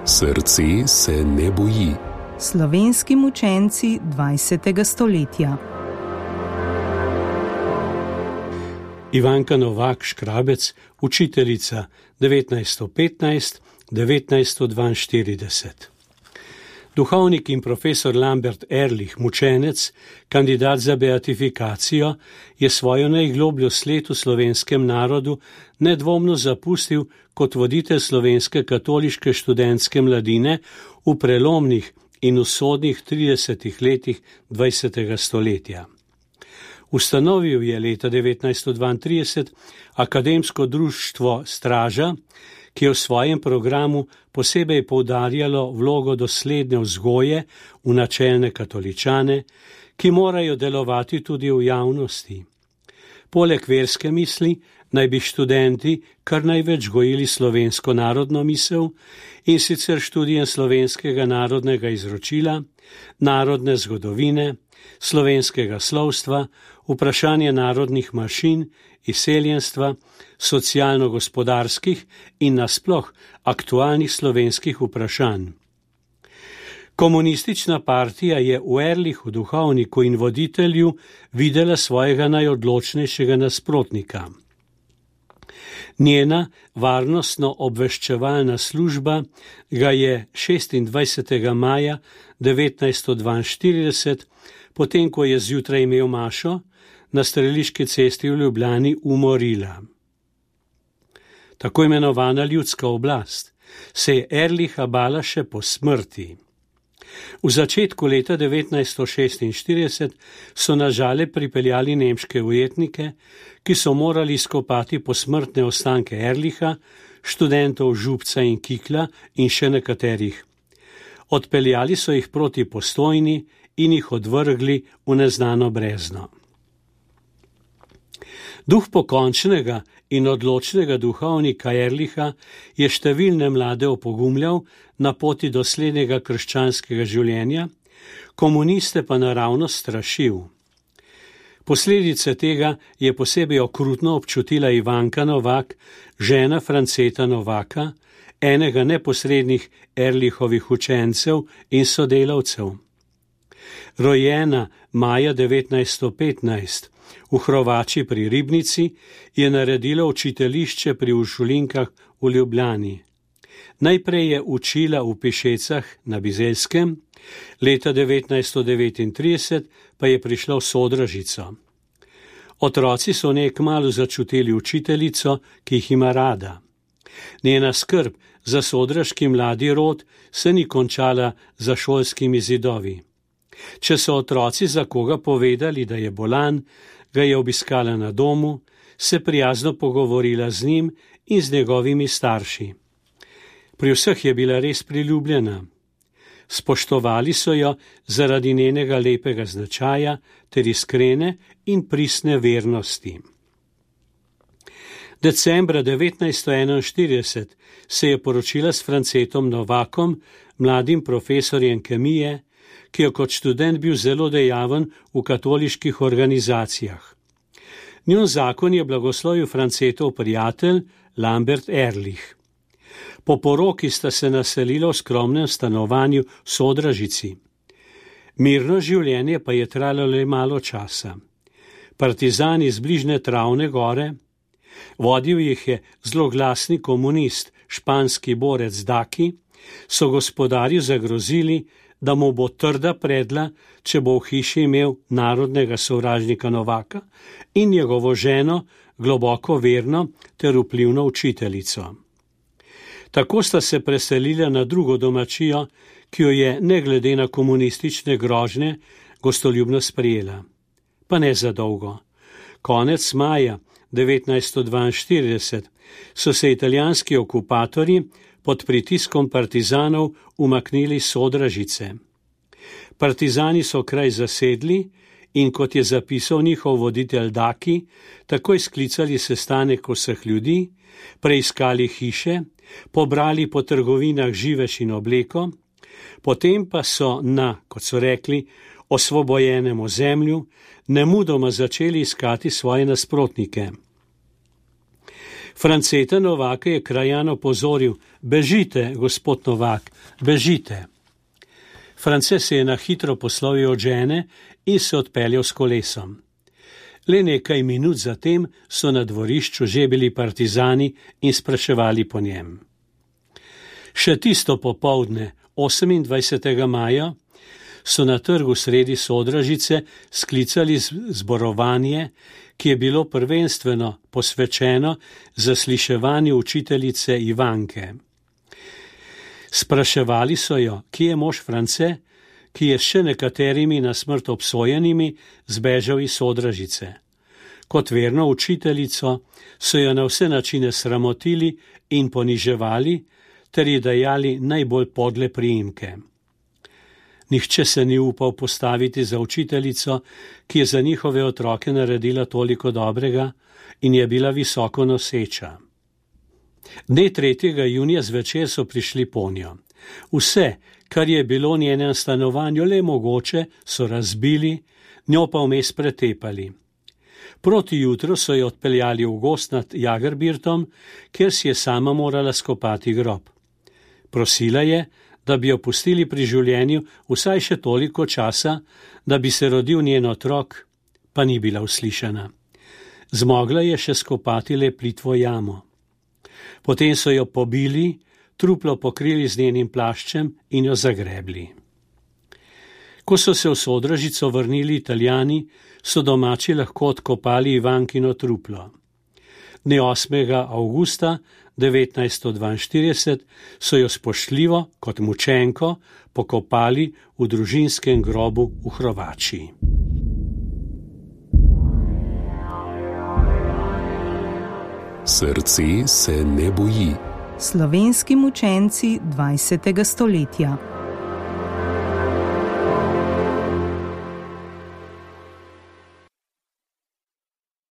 Srce se ne boji. Slovenski mučenci 20. stoletja. Ivanka Novak Škrabec, učiteljica 1915-1942. Duhovnik in profesor Lambert Ehrlich, mučenec, kandidat za beatifikacijo, je svojo najglobljo sled v slovenskem narodu nedvomno zapustil kot voditelj slovenske katoliške študentske mladine v prelomnih in usodnih 30 letih 20. stoletja. Ustanovil je leta 1932 akademsko društvo Straža, ki je v svojem programu posebej poudarjalo vlogo dosledne vzgoje v načelne katoličane, ki morajo delovati tudi v javnosti. Poleg verske misli naj bi študenti kar največ gojili slovensko narodno misel, in sicer študijem slovenskega narodnega izročila, narodne zgodovine, slovenskega slovstva, vprašanje narodnih manjšin, izseljenstva, socialno-gospodarskih in nasploh aktualnih slovenskih vprašanj. Komunistična partija je v Ehrlichu, duhovniku in voditelju, videla svojega najodločnejšega nasprotnika. Njena varnostno-obveščevalna služba ga je 26. maja 1942, potem ko je zjutraj imel mašo, na Streliški cesti v Ljubljani umorila. Tako imenovana ljudska oblast se je Ehrlicha bala še po smrti. V začetku leta 1946 so na Žale pripeljali nemške ujetnike, ki so morali izkopati posmrtne ostanke Ehrlicha, študentov Župca in Kikla in še nekaterih. Odpeljali so jih proti Postojni in jih odvrgli v neznano brezno. Duh pokončnega in odločnega duhovnika Ehrlicha je številne mlade opogumljal na poti do slednjega krščanskega življenja, komuniste pa naravno strašil. Posledice tega je posebej okrutno občutila Ivanka Novak, žena Franceta Novaka, enega neposrednih Ehrlichovih učencev in sodelavcev. Rojena maja 1915 v Hrovači pri Ribnici, je naredila učiteljišče pri Uršulinkah v Ljubljani. Najprej je učila v Pišecah na Bizeljskem, leta 1939 pa je prišla v Sodražico. Otroci so v njej kmalu začutili učiteljico, ki jih ima rada. Njena skrb za sodraški mladi rod se ni končala za šolskimi zidovi. Če so otroci za koga povedali, da je bolan, ga je obiskala na domu, se prijazno pogovorila z njim in z njegovimi starši. Pri vseh je bila res priljubljena. Spoštovali so jo zaradi njenega lepega značaja ter iskrene in pristne vernosti. Decembra 1941 se je poročila s Francetom Novakom, mladim profesorjem kemije, ki je kot študent bil zelo dejaven v katoliških organizacijah. Njun zakon je blagoslovil Francetov prijatelj Lambert Ehrlich. Po poroki sta se naselila v skromnem stanovanju v Sodražici. Mirno življenje pa je trajalo le malo časa. Partizani z bližnje Travne gore, vodil jih je zloglasni komunist, španski borec Daki, so gospodarju zagrozili, da mu bo trda predla, če bo v hiši imel narodnega sovražnika Novaka in njegovo ženo, globoko verno ter vplivno učiteljico. Tako sta se preselila na drugo domačijo, ki jo je, ne glede na komunistične grožnje, gostoljubno sprejela. Pa ne za dolgo. Konec maja 1942 so se italijanski okupatorji pod pritiskom partizanov umaknili iz Sodražice. Partizani so kraj zasedli in, kot je zapisal njihov voditelj Daki, takoj sklicali sestanek vseh ljudi, preiskali hiše, pobrali po trgovinah živež in obleko, potem pa so na, kot so rekli, osvobojenem ozemlju nemudoma začeli iskati svoje nasprotnike. Franceta Novaka je krajan opozoril: bežite, gospod Novak, bežite. France se je na hitro poslovil od žene in se odpeljal s kolesom. Le nekaj minut zatem so na dvorišču že bili partizani in spraševali po njem. Še tisto popoldne, 28. maja, so na trgu sredi Sodražice sklicali zborovanje, ki je bilo prvenstveno posvečeno zasliševanju učiteljice Ivanke. Spraševali so jo, kje je mož France, ki je s še nekaterimi na smrt obsojenimi zbežal iz Sodražice. Kot verno učiteljico so jo na vse načine sramotili in poniževali ter ji dajali najbolj podle priimke. Nihče se ni upal postaviti za učiteljico, ki je za njihove otroke naredila toliko dobrega in je bila visoko noseča. Dne 3. junija zvečer so prišli ponjo. Vse, kar je bilo v njenem stanovanju le mogoče, so razbili, njo pa vmes pretepali. Proti jutru so jo odpeljali v gozd nad Jagerbirtom, kjer si je sama morala skopati grob. Prosila je, da bi jo pustili pri življenju vsaj še toliko časa, da bi se rodil njen otrok, pa ni bila uslišana. Zmogla je še skopati le plitvo jamo. Potem so jo pobili, truplo pokrili z njenim plaščem in jo zagrebli. Ko so se v Sodražico vrnili Italijani, so domači lahko odkopali Ivankino truplo. Dne 8. avgusta 1942 so jo spoštljivo kot mučenko pokopali v družinskem grobu v Hrovačiji. Srce se ne boji. Slovenski mučenci 20. stoletja.